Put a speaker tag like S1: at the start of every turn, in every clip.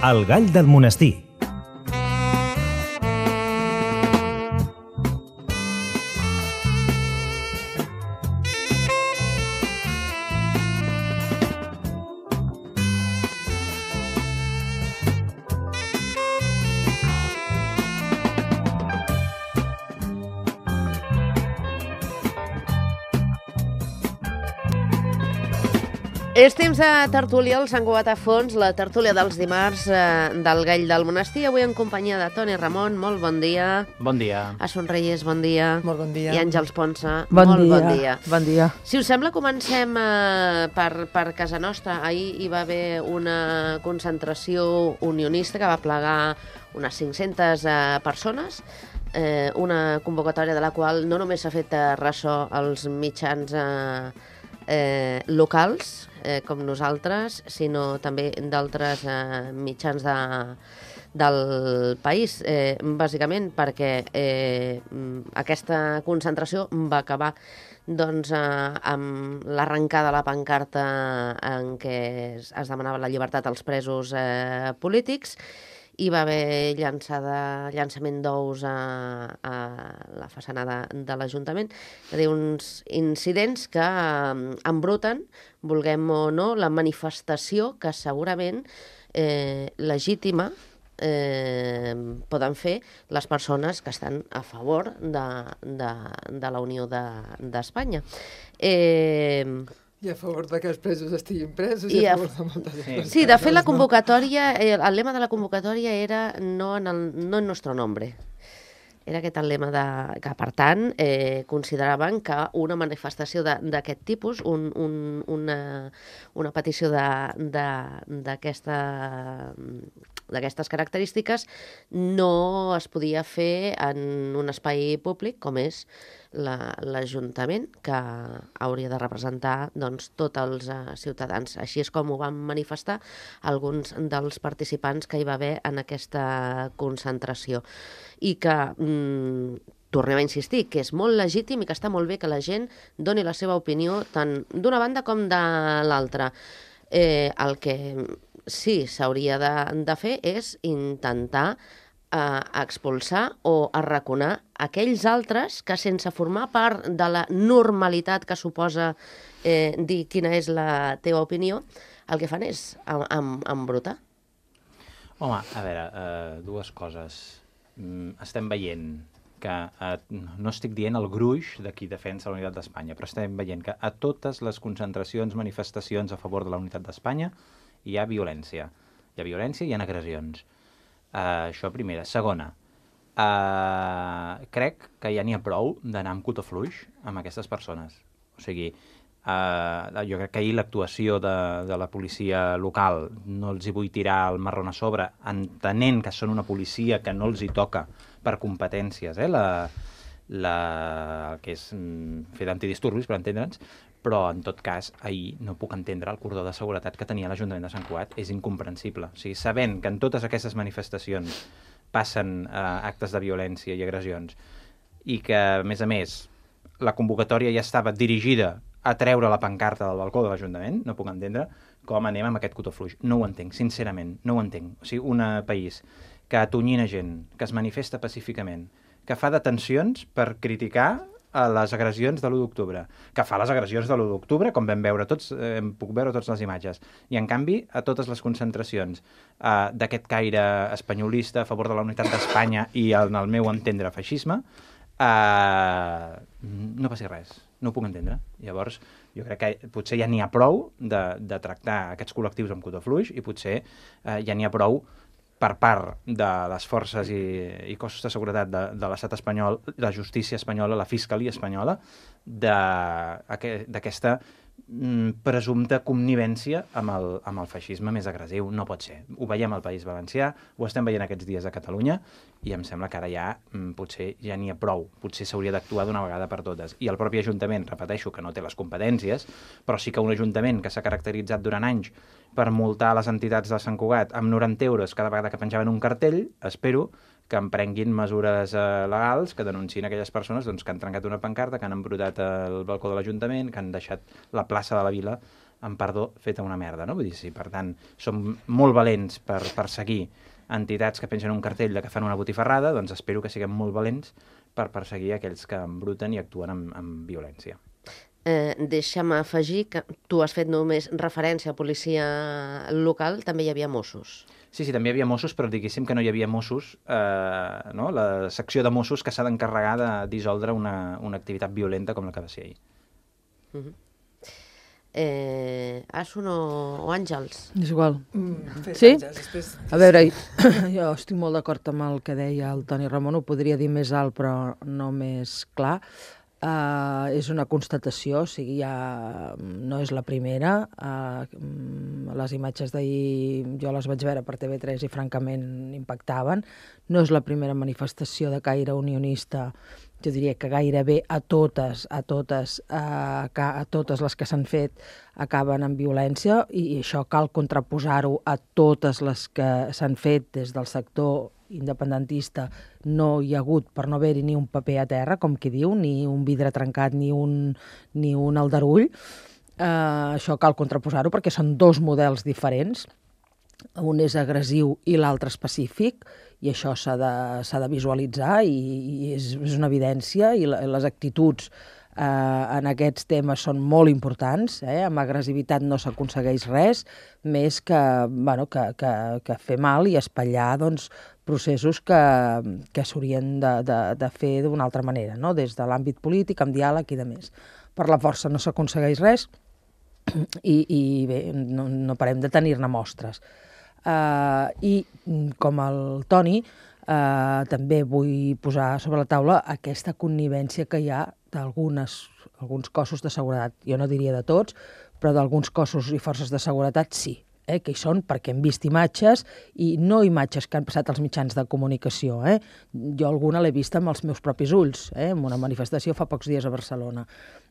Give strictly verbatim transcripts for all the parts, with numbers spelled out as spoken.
S1: El gall del monestir.
S2: És temps de tertúlia al Sant Cugat a fons, la tertúlia dels dimarts eh, del Gall del Monestir. Avui en companyia de Toni Ramon, molt bon dia.
S3: Bon dia.
S2: A Sonreyes, bon dia.
S4: Molt bon dia.
S2: I Àngels Ponsa,
S4: bon
S2: molt
S4: dia.
S2: bon dia.
S4: Bon dia.
S2: Si us sembla, comencem eh, per, per casa nostra. Ahir hi va haver una concentració unionista que va plegar unes cinc-centes eh, persones, eh, una convocatòria de la qual no només s'ha fet eh, ressò als mitjans eh, eh, locals, eh, com nosaltres, sinó també d'altres eh, mitjans de, del país, eh, bàsicament perquè eh, aquesta concentració va acabar doncs, eh, amb l'arrencada de la pancarta en què es, es demanava la llibertat als presos eh, polítics. Hi va haver llançada, llançament d'ous a, a la façana de, de l'Ajuntament. Hi ha uns incidents que eh, embruten, vulguem o no, la manifestació que segurament eh, legítima eh, poden fer les persones que estan a favor de, de, de la Unió d'Espanya. De, eh,
S4: I a favor de que els presos estiguin presos
S2: i
S4: i a
S2: a...
S4: favor de moltes coses.
S2: Sí, de fet la convocatòria, eh, el lema de la convocatòria era no en, el, no en nuestro nombre. Era aquest el lema de, que, per tant, eh, consideraven que una manifestació d'aquest tipus, un, un, una, una petició d'aquesta d'aquestes característiques, no es podia fer en un espai públic com és l'Ajuntament, que hauria de representar doncs, tots els uh, ciutadans. Així és com ho van manifestar alguns dels participants que hi va haver en aquesta concentració. I que, mm, tornem a insistir, que és molt legítim i que està molt bé que la gent doni la seva opinió tant d'una banda com de l'altra. Eh, el que sí s'hauria de, de fer és intentar eh, expulsar o arraconar aquells altres que, sense formar part de la normalitat que suposa eh, dir quina és la teva opinió, el que fan és em, em, embrutar.
S3: Home, a veure, uh, dues coses. Mm, estem veient que, uh, no estic dient el gruix de qui defensa la unitat d'Espanya, però estem veient que a totes les concentracions, manifestacions a favor de la unitat d'Espanya hi ha violència. Hi ha violència i hi ha agressions. Uh, això primera. Segona, uh, crec que ja n'hi ha prou d'anar amb cotó fluix amb aquestes persones. O sigui, uh, jo crec que ahir l'actuació de, de la policia local, no els hi vull tirar el marrón a sobre, entenent que són una policia que no els hi toca per competències, eh, la, la, que és mm, fer d'antidisturbis, per entendre'ns, però, en tot cas, ahir no puc entendre el cordó de seguretat que tenia l'Ajuntament de Sant Cugat. És incomprensible. O sigui, sabent que en totes aquestes manifestacions passen eh, actes de violència i agressions i que, a més a més, la convocatòria ja estava dirigida a treure la pancarta del balcó de l'Ajuntament, no puc entendre com anem amb aquest cotó fluix. No ho entenc, sincerament, no ho entenc. O sigui, un país que atonyina gent, que es manifesta pacíficament, que fa detencions per criticar a les agressions de l'u d'octubre, que fa les agressions de l'u d'octubre, com vam veure tots, eh, puc veure totes les imatges, i en canvi a totes les concentracions eh, d'aquest caire espanyolista a favor de la unitat d'Espanya i en el meu entendre feixisme, eh, no passi res, no ho puc entendre. Llavors, jo crec que potser ja n'hi ha prou de, de tractar aquests col·lectius amb cotó fluix i potser eh, ja n'hi ha prou per part de les forces i, i cossos de seguretat de, de l'estat espanyol, la justícia espanyola, la fiscalia espanyola, d'aquesta mm, presumpta connivència amb el, amb el feixisme més agressiu. No pot ser. Ho veiem al País Valencià, ho estem veient aquests dies a Catalunya, i em sembla que ara ja mm, potser ja n'hi ha prou. Potser s'hauria d'actuar d'una vegada per totes. I el propi Ajuntament, repeteixo, que no té les competències, però sí que un Ajuntament que s'ha caracteritzat durant anys per multar les entitats de Sant Cugat amb noranta euros cada vegada que penjaven un cartell, espero que emprenguin mesures eh, legals que denunciïn aquelles persones doncs, que han trencat una pancarta, que han embrutat el balcó de l'Ajuntament, que han deixat la plaça de la Vila amb perdó, feta una merda, no? Vull dir, sí, per tant, som molt valents per perseguir entitats que pengen un cartell de que fan una botifarrada, doncs espero que siguem molt valents per perseguir aquells que embruten i actuen amb, amb violència.
S2: Eh, deixa'm afegir que tu has fet només referència a policia local, també hi havia Mossos.
S3: Sí, sí, també hi havia Mossos, però diguéssim que no hi havia Mossos, eh, no? La secció de Mossos que s'ha d'encarregar de dissoldre una, una activitat violenta com la que va ser ahir.
S2: Uh -huh. eh, Asun o, o Àngels?
S1: És igual.
S4: Mm,
S1: sí?
S4: Àngels, després...
S1: A veure, jo estic molt d'acord amb el que deia el Toni Ramon, ho podria dir més alt però no més clar. Uh, és una constatació, o sigui, ja no és la primera. Uh, les imatges d'ahir jo les vaig veure per T V tres i francament impactaven. No és la primera manifestació de caire unionista, jo diria que gairebé a totes, a totes, a, a totes les que s'han fet acaben amb violència i això cal contraposar-ho a totes les que s'han fet des del sector independentista. No hi ha hagut, per no haver-hi ni un paper a terra, com qui diu, ni un vidre trencat, ni un, ni un aldarull. Uh, això cal contraposar-ho perquè són dos models diferents. Un és agressiu i l'altre específic, i això s'ha de, s'ha de visualitzar i, i és, és una evidència, i la, les actituds eh, en aquests temes són molt importants, eh? Amb agressivitat no s'aconsegueix res, més que, bueno, que, que, que fer mal i espatllar doncs, processos que, que s'haurien de, de, de fer d'una altra manera, no? Des de l'àmbit polític, amb diàleg i de més. Per la força no s'aconsegueix res i, i bé, no, no parem de tenir-ne mostres. Uh, I com el Toni, uh, també vull posar sobre la taula aquesta connivència que hi ha d'alguns alguns cossos de seguretat. Jo no diria de tots, però d'alguns cossos i forces de seguretat sí. Eh, que hi són perquè hem vist imatges i no imatges que han passat als mitjans de comunicació. Eh? Jo alguna l'he vista amb els meus propis ulls, eh? En una manifestació fa pocs dies a Barcelona,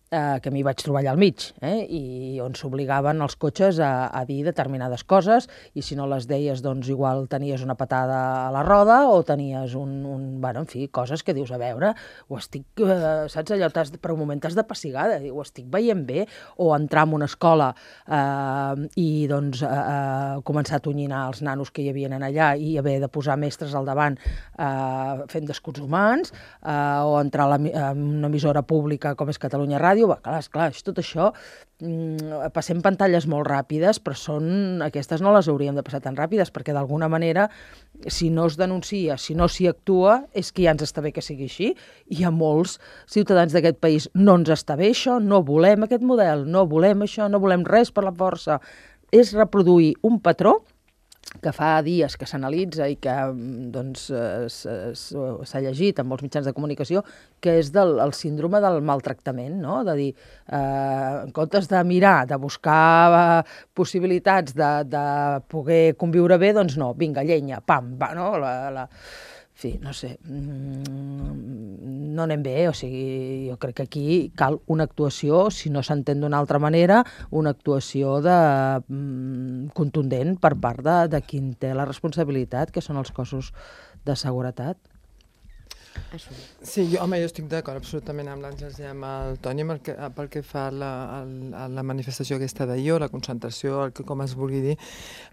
S1: eh, que m'hi vaig trobar allà al mig, eh? I on s'obligaven els cotxes a, a dir determinades coses i si no les deies, doncs igual tenies una patada a la roda o tenies un... un bueno, en fi, coses que dius, a veure, ho estic... Eh, saps allò, per un moment t'has de pessigar, ho estic veient bé, o entrar en una escola eh, i doncs... Eh, Uh, començar a tonyinar els nanos que hi havia allà i haver de posar mestres al davant uh, fent d'escuts humans uh, o entrar a, la, a una emissora pública com és Catalunya Ràdio. Va, clar, esclar, tot això mm, passem pantalles molt ràpides, però són, aquestes no les hauríem de passar tan ràpides perquè d'alguna manera si no es denuncia, si no s'hi actua és que ja ens està bé que sigui així i a molts ciutadans d'aquest país no ens està bé això, no volem aquest model, no volem això, no volem res per la força. És reproduir un patró que fa dies que s'analitza i que doncs, s'ha llegit en molts mitjans de comunicació, que és del, el síndrome del maltractament, no? De dir, eh, en comptes de mirar, de buscar eh, possibilitats de, de poder conviure bé, doncs no, vinga, llenya, pam, va, no? La, la... En fi, no sé, no anem bé, o sigui, jo crec que aquí cal una actuació, si no s'entén d'una altra manera, una actuació de, contundent per part de, de qui en té la responsabilitat, que són els cossos de seguretat.
S4: Sí, jo, home, jo estic d'acord absolutament amb l'Àngels i amb el Toni pel que, pel que fa a la, a la manifestació aquesta d'ahir, la concentració, el que, com es vulgui dir.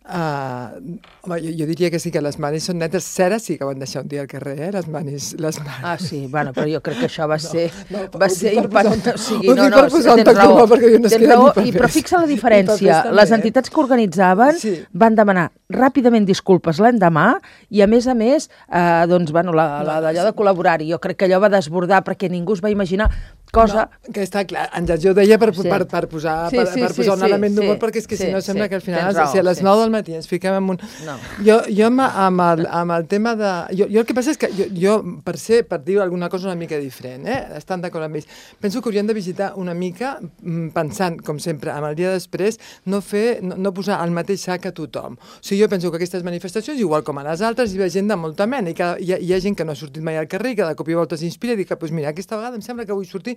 S4: Uh, home, jo, jo diria que sí que les manis són netes. Cera sí que van deixar un dia al carrer, eh, les manis. Les manis.
S1: Ah, sí, bueno, però jo crec que això va ser...
S4: No, no,
S1: va ser impactant. O sigui,
S4: ho
S1: no,
S4: dic
S1: no,
S4: per posar un
S1: tens
S4: toc
S1: raó,
S4: d'humor, perquè jo no es
S1: tens
S4: queda
S1: raó,
S4: ni papers.
S1: i, però fixa la diferència.
S4: També,
S1: Les
S4: eh?
S1: entitats que organitzaven
S4: sí.
S1: van demanar ràpidament disculpes l'endemà i, a més a més, eh, doncs, bueno, la, la d'allò de col·laborar-hi. Jo crec que allò va desbordar perquè ningú es va imaginar cosa...
S4: No, que està clar, Àngels, jo ho deia per,
S1: Sí.
S4: per, per posar,
S1: Sí,
S4: per,
S1: sí,
S4: per
S1: sí,
S4: posar un
S1: sí,
S4: element d'humor,
S1: sí,
S4: perquè és que
S1: sí,
S4: si no sembla
S1: sí,
S4: que al final,
S1: tens raó,
S4: si a les
S1: sí.
S4: nou del matí ens fiquem en un...
S1: No.
S4: Jo, jo amb, amb, el, amb el tema de... Jo, jo el que passa és que jo, jo per ser, per dir alguna cosa una mica diferent, eh? Estan d'acord amb ells, penso que hauríem de visitar una mica, pensant, com sempre, amb el dia després, no fer, no, no posar al mateix sac a tothom. O sigui, jo penso que aquestes manifestacions, igual com a les altres, hi ha gent de molta mena, i que hi ha, hi ha gent que no ha sortit mai al carrer, que de cop i volta s'inspira i diu que, pues mira, aquesta vegada em sembla que vull sortir.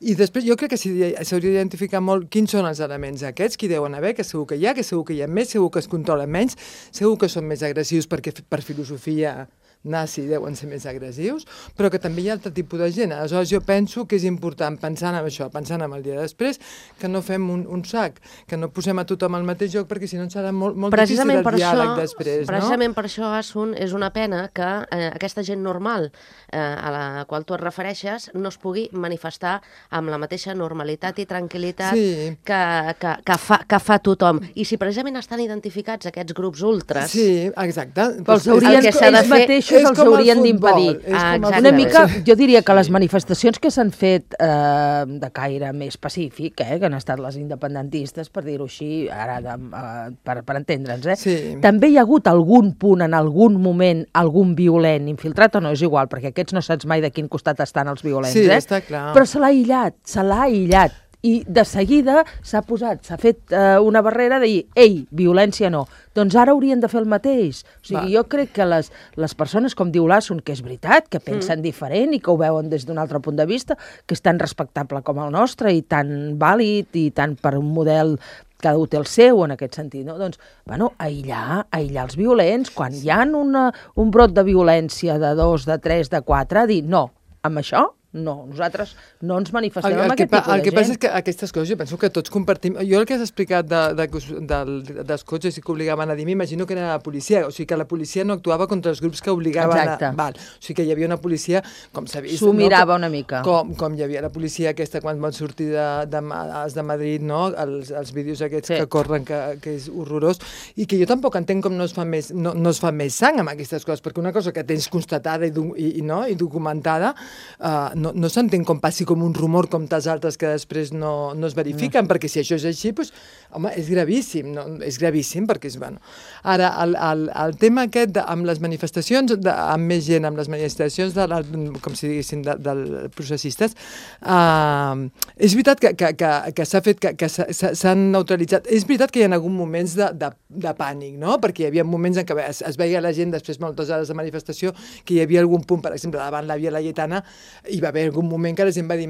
S4: I després jo crec que s'hauria d'identificar molt quins són els elements aquests, qui deuen haver, que segur que hi ha, que segur que hi ha més, segur que es controlen menys, segur que són més agressius perquè per filosofia nazi deuen ser més agressius, però que també hi ha altre tipus de gent. Aleshores jo penso que és important, pensant en això, pensant en el dia després, que no fem un, un sac, que no posem a tothom al mateix lloc, perquè si no serà molt, molt difícil el diàleg
S2: això,
S4: després.
S2: Precisament
S4: no?
S2: per això, Asun, és una pena que eh, aquesta gent normal eh, a la qual tu et refereixes no es pugui manifestar amb la mateixa normalitat i tranquil·litat
S4: sí.
S2: que, que, que, fa, que fa tothom. I si precisament estan identificats aquests grups ultres...
S4: Sí, exacte.
S1: Però els haurien,
S2: el que s'ha de
S1: ells
S2: fer
S1: mateixos els haurien d'impedir.
S2: Ah,
S1: una mica, jo diria que les manifestacions que s'han fet eh, de caire més pacífic, eh, que han estat les independentistes, per dir-ho així, ara de, eh, per, per entendre'ns, eh,
S4: sí.
S1: també hi ha hagut algun punt, en algun moment, algun violent infiltrat o no, és igual, perquè aquests no saps mai de quin costat estan els violents,
S4: sí,
S1: eh?
S4: Està clar.
S1: Però se l'ha aïllat, se l'ha aïllat. I de seguida s'ha posat, s'ha fet eh, una barrera de dir, ei, violència no. Doncs ara haurien de fer el mateix. O sigui, Va. jo crec que les, les persones, com diu l'Asun, que és veritat, que pensen mm. diferent i que ho veuen des d'un altre punt de vista, que és tan respectable com el nostre i tan vàlid i tan per un model cada un té el seu, en aquest sentit, no? Doncs, bueno, aïllar, aïllar els violents. Quan hi ha una, un brot de violència de dos, de tres, de quatre, dir, no, amb això no, nosaltres no ens manifestem
S4: el, el
S1: amb aquest tipus de gent.
S4: El que passa és que aquestes coses, jo penso que tots compartim... Jo el que has explicat de, de, de, dels cotxes i que obligaven a dir, m'imagino que era la policia, o sigui que la policia no actuava contra els grups que obligaven
S1: Exacte.
S4: a... Val. O sigui que hi havia una policia, com s'ha vist...
S1: S'ho
S4: no?
S1: mirava
S4: com,
S1: una mica.
S4: Com, com hi havia la policia aquesta quan van sortir de, de, de, de Madrid, no? Els, els vídeos aquests sí. que corren, que, que és horrorós, i que jo tampoc entenc com no es fa més, no, no es fa més sang amb aquestes coses, perquè una cosa que tens constatada i, i, i, no? i documentada, uh, no, no s'entén com passi com un rumor com tants altres que després no, no es verifiquen, no. perquè si això és així, doncs, home, és gravíssim, no? És gravíssim, perquè és, bueno... Ara, el, el, el tema aquest, de, amb les manifestacions, de, amb més gent, amb les manifestacions, de, com si diguéssim, de, dels processistes, uh, és veritat que, que, que, que s'ha fet, que, que s'han neutralitzat, és veritat que hi ha hagut moments de, de, de pànic, no? Perquè hi havia moments en què es, es veia la gent, després moltes hores de manifestació, que hi havia algun punt, per exemple, davant la Via Laietana, hi va haver algun moment que la gent va dir,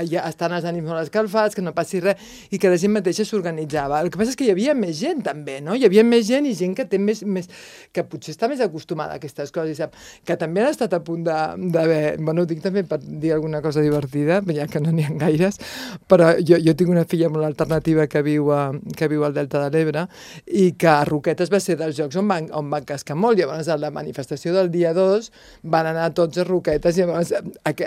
S4: ja estan els ànims molt escalfats, que no passi res, i que la gent mateixa s'organitzava. El que passa és que hi havia més gent, també, no? Hi havia més gent i gent que té més, més que potser està més acostumada a aquestes coses, sap? Que també han estat a punt d'haver... Bueno, ho dic també per dir alguna cosa divertida, ja que no n'hi ha gaires, però jo, jo tinc una filla molt alternativa que viu, a, que viu al Delta de l'Ebre i que a Roquetes va ser dels jocs on van, on van cascar molt. Llavors, a la manifestació del dia dos van anar tots a Roquetes i llavors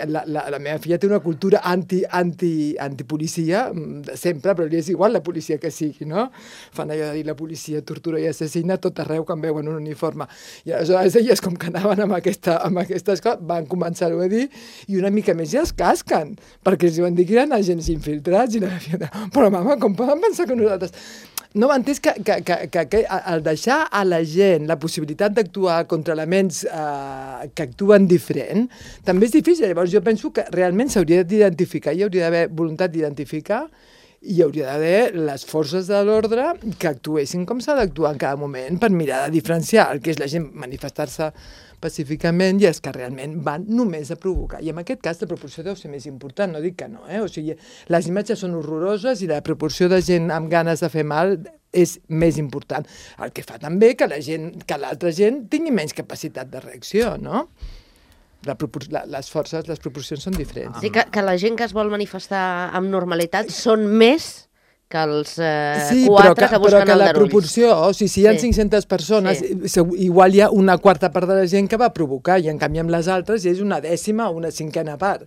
S4: la, la, la meva filla té una cultura anti, anti, antipolicia de sempre, però li és igual la policia que sigui, no? Fan allò de dir la policia tortura i assassina tot arreu quan veuen un uniforme. I aleshores elles, com que anaven amb, aquesta, amb aquestes coses, van començar-ho a dir i una mica més ja es casquen, perquè els van dir que eren agents infiltrats i la filla, però mama, com poden pensar que nosaltres... No, m'entens que, que, que, que, que el deixar a la gent la possibilitat d'actuar contra elements eh, que actuen diferent també és difícil. Llavors jo penso que realment s'hauria d'identificar, hi hauria d'haver voluntat d'identificar i hi hauria d'haver les forces de l'ordre que actuessin com s'ha d'actuar en cada moment per mirar de diferenciar el que és la gent manifestar-se pacíficament i els que realment van només a provocar. I en aquest cas la proporció deu ser més important, no dic que no, eh? O sigui, les imatges són horroroses i la proporció de gent amb ganes de fer mal és més important. El que fa també que la gent, que l'altra gent tingui menys capacitat de reacció, no? La propor la, les forces, les proporcions són diferents.
S2: Sí, que, que la gent que es vol manifestar amb normalitat són més que els eh,
S4: sí,
S2: quatre
S4: que,
S2: que busquen
S4: però que
S2: el
S4: la
S2: darulls.
S4: proporció, o sigui, si hi ha sí. cinc-centes persones, sí. igual hi ha una quarta part de la gent que va provocar, i en canvi amb les altres és una dècima o una cinquena part.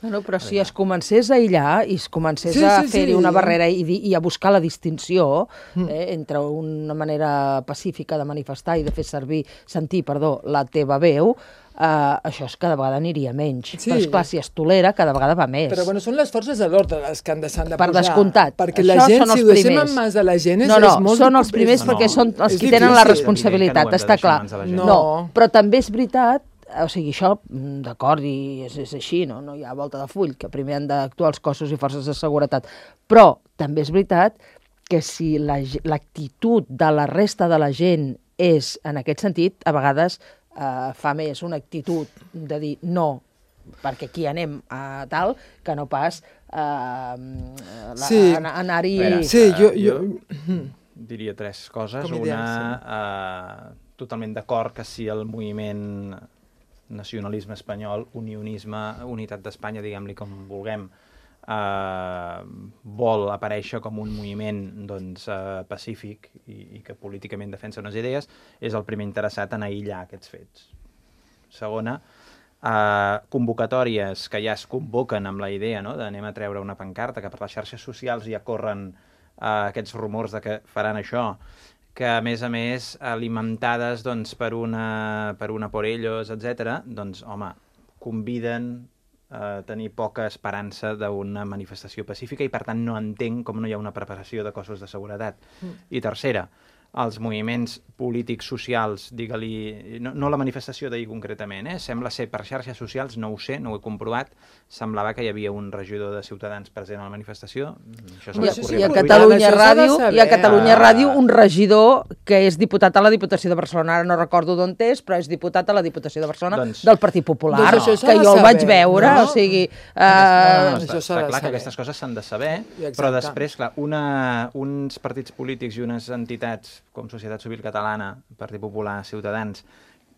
S1: Bueno, però si es comencés a aïllar i es comencés sí,
S4: sí,
S1: a
S4: sí,
S1: fer-hi
S4: sí.
S1: una barrera i, i a buscar la distinció eh, entre una manera pacífica de manifestar i de fer servir, sentir, perdó, la teva veu, Uh, això és cada vegada aniria menys. Sí. Però esclar, si es tolera, cada vegada va més.
S4: Però bueno, són les forces de l'ordre les que han de, s'han de
S1: per
S4: posar.
S1: Descomptat.
S4: Perquè
S1: això
S4: la gent, si ho deixem
S1: primers.
S4: en mans de la gent, és,
S1: no, no,
S4: és molt...
S1: són els primers
S3: no,
S1: perquè
S3: no.
S1: són els
S4: És
S1: qui
S4: difícil.
S1: tenen la responsabilitat,
S3: no
S1: està clar.
S4: No.
S1: no, però també és veritat, o sigui, això, d'acord, i és, és així, no? No hi ha volta de full, que primer han d'actuar els cossos i forces de seguretat. Però també és veritat que si l'actitud la, de la resta de la gent és, en aquest sentit, a vegades Uh, fa més una actitud de dir no, perquè aquí anem a tal, que no pas uh,
S4: sí.
S1: anar-hi...
S4: Sí, jo, jo...
S3: jo diria tres coses.
S4: Com
S3: una,
S4: ideal, sí.
S3: uh, totalment d'acord que si el moviment nacionalisme espanyol, unionisme, unitat d'Espanya, diguem-li com vulguem, eh, vol aparèixer com un moviment doncs, eh, pacífic i, i que políticament defensa unes idees, és el primer interessat en aïllar aquests fets. Segona, eh, convocatòries que ja es convoquen amb la idea, no?, d'anem a treure una pancarta, que per les xarxes socials ja corren eh, aquests rumors de que faran això, que a més a més alimentades doncs, per, una, per una por ellos, etcètera, doncs home, conviden a tenir poca esperança d'una manifestació pacífica i per tant no entenc com no hi ha una preparació de cossos de seguretat. Mm. I tercera, els moviments polítics socials, digue-li, no, no la manifestació d'ahir concretament, eh? Sembla ser per xarxes socials, no ho sé, no ho he comprovat, semblava que hi havia un regidor de Ciutadans present a la manifestació. Això
S1: I, i, a Catalunya Ràdio, I a Catalunya Ràdio un regidor que és diputat a la Diputació de Barcelona, ara no recordo d'on és, però és diputat a la Diputació de Barcelona doncs, del Partit Popular, doncs que jo el vaig veure, no? O sigui... Uh...
S3: No, no, no, està, està clar que aquestes coses s'han de saber, exacte. Però després, clar, una, uns partits polítics i unes entitats com Societat Civil Catalana, Partit Popular, Ciutadans,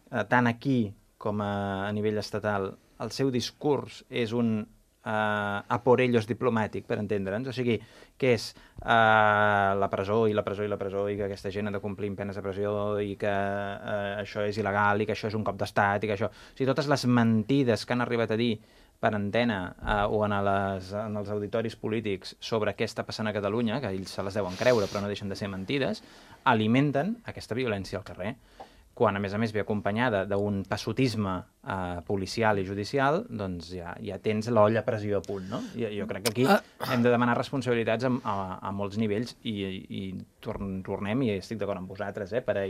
S3: eh, tant aquí com a, a nivell estatal, el seu discurs és un eh, a por ellos diplomàtic, per entendre'ns, o sigui, que és eh, la presó i la presó i la presó i que aquesta gent ha de complir amb penes de presó i que eh, això és il·legal i que això és un cop d'estat i que això... O sigui, totes les mentides que han arribat a dir per antena eh, o en, les, en els auditoris polítics sobre què està passant a Catalunya, que ells se les deuen creure però no deixen de ser mentides, alimenten aquesta violència al carrer. Quan, a més a més, ve acompanyada d'un passotisme eh, policial i judicial, doncs ja, ja tens l'olla a pressió a punt, no? I, jo crec que aquí hem de demanar responsabilitats a, a, a molts nivells i, i tornem, i estic d'acord amb vosaltres, eh, per a,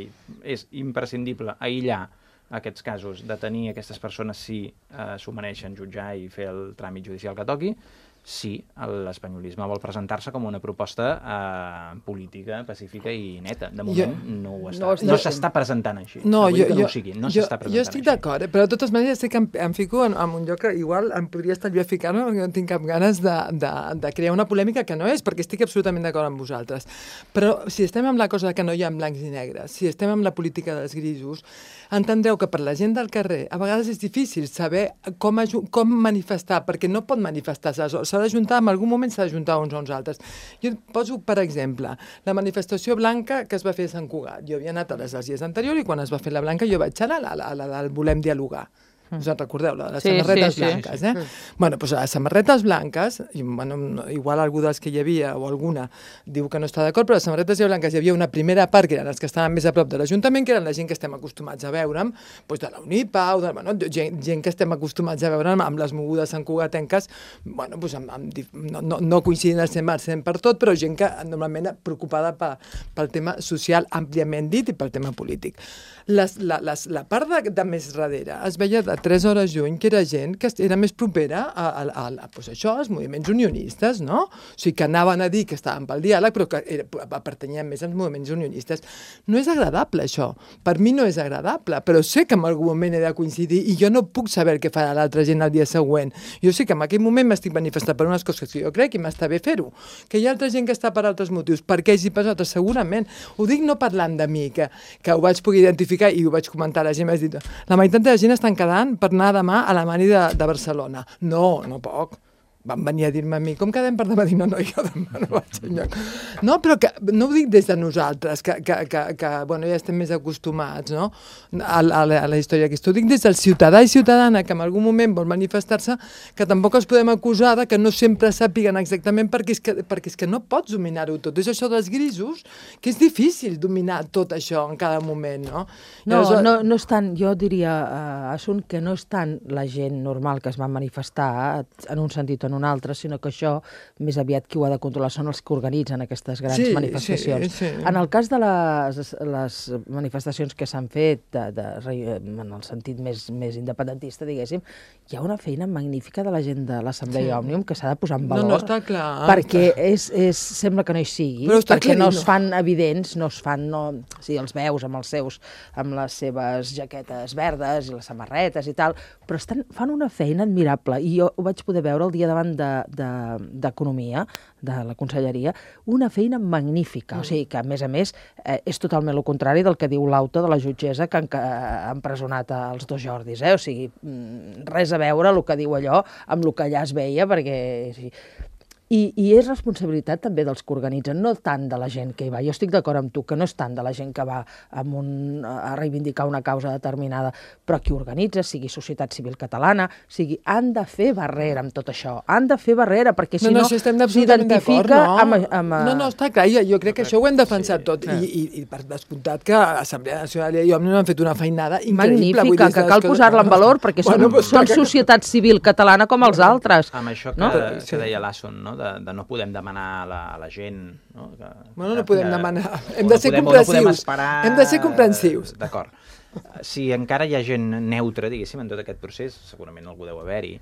S3: és imprescindible aïllar aquests casos, detenir aquestes persones si eh, s'ho mereixen, jutjar i fer el tràmit judicial que toqui, si l'espanyolisme vol presentar-se com una proposta eh, política, pacífica i neta. De moment jo, no ho està. No, no s'està presentant així.
S4: No, jo,
S3: que
S4: jo,
S3: no ho sigui, no s'està presentant
S4: jo estic d'acord, eh? Però de totes maneres estic em, em fico en, en un lloc que igual em podria estar jo a ficar-me perquè no tinc cap ganes de, de, de crear una polèmica que no és, perquè estic absolutament d'acord amb vosaltres. Però si estem amb la cosa que no hi ha blancs i negres, si estem amb la política dels grisos, entendreu que per la gent del carrer a vegades és difícil saber com, com manifestar, perquè no pot manifestar-se, s'ha d'ajuntar, en algun moment s'ha d'ajuntar uns a uns altres. Jo poso, per exemple, la manifestació blanca que es va fer a Sant Cugat. Jo havia anat a les dels dies anteriors i quan es va fer la blanca jo vaig anar a la, a la, a la Volem Dialogar. Us en recordeu, la de les sí, samarretes sí, blanques, sí, sí. eh? Sí. Bueno, doncs les samarretes blanques, i, bueno, igual algú dels que hi havia o alguna diu que no està d'acord, però les samarretes blanques hi havia una primera part que eren els que estaven més a prop de l'Ajuntament, que eren la gent que estem acostumats a veure'm, doncs de la Unipau, de, bueno, gent, gent que estem acostumats a veure'm amb les mogudes santcugatenques, bueno, doncs amb, amb, no, no, no coincidint al cent per cent per tot, però gent que normalment preocupada pa, pel tema social àmpliament dit i pel tema polític. Les, la, les, la part de, de més darrere es veia de tres hores lluny, que era gent que era més propera a, a, a, a pues això, als moviments unionistes, no? O sigui, que anaven a dir que estaven pel diàleg, però que era, pertanyien més als moviments unionistes. No és agradable, això. Per mi no és agradable, però sé que en algun moment he de coincidir i jo no puc saber què farà l'altra gent el dia següent. Jo sé que en aquell moment m'estic manifestant per unes coses que jo crec i m'està bé fer-ho. Que hi ha altra gent que està per altres motius, per què ells hi passa altres, segurament. Ho dic no parlant de mi, que, que ho vaig poder identificar i ho vaig comentar a la gent, m'has dit, la meitat de la gent estan quedant per anar demà a la Mani de, de Barcelona. No, no poc. Van venir a dir-me a mi, com quedem per demà? Dic, no, no, jo demà no vaig enlloc. No, però que, no ho dic des de nosaltres, que, que, que, que bueno, ja estem més acostumats, no?, a, a, la, a la història aquesta. Ho dic des del ciutadà i ciutadana que en algun moment vol manifestar-se, que tampoc els podem acusar de que no sempre sàpiguen exactament perquè és que, perquè és que no pots dominar-ho tot. És això dels grisos, que és difícil dominar tot això en cada moment, no?
S1: No, llavors, no, no és tant, jo diria, uh, Assunt, que no és tant la gent normal que es va manifestar en un sentit o en un altre, sinó que això més aviat qui ho ha de controlar són els que organitzen aquestes grans sí, manifestacions. Sí, sí. En el cas de les, les manifestacions que s'han fet de, de, en el sentit més, més independentista, diguéssim, hi ha una feina magnífica de la gent de l'Assemblea sí. Òmnium que s'ha de posar en valor.
S4: No, no, està clar.
S1: Perquè és, és, sembla que no hi sigui, perquè no es fan evidents, no es fan, no, sí, els veus amb els seus, amb les seves jaquetes verdes i les samarretes i tal, però estan, fan una feina admirable i jo ho vaig poder veure el dia d'abans parlant d'Economia, de, de la Conselleria, una feina magnífica. Mm. O sigui que, a més a més, eh, és totalment el contrari del que diu l'auto de la jutgessa que ha empresonat els dos Jordis. Eh? O sigui, res a veure el que diu allò amb el que allà es veia, perquè... Sí. I, I és responsabilitat també dels que organitzen, no tant de la gent que hi va. Jo estic d'acord amb tu, que no és tant de la gent que va amb un, a reivindicar una causa determinada, però qui organitza, sigui societat civil catalana, sigui, han de fer barrera amb tot això, han de fer barrera, perquè si no,
S4: no, no s'identifica
S1: no? amb, amb...
S4: No, no, està clar, jo, jo crec que això ho hem defensat sí. tot, I, i, i per descomptat que Assemblea Nacional i Òmnium han fet una feinada increïble.
S1: Magnífica, que cal posar-la en valor, perquè bueno, són, són que... societat civil catalana com els altres.
S3: Amb això que,
S1: no?
S3: que deia l'Asson, no? De, de no podem demanar a la, a la gent... No, que,
S4: bueno, no podem que, demanar. Hem
S3: de
S4: ser
S3: no podem,
S4: comprensius.
S3: No esperar...
S4: Hem de ser comprensius.
S3: D'acord. Si encara hi ha gent neutra, diguéssim, en tot aquest procés, segurament algú deu haver-hi,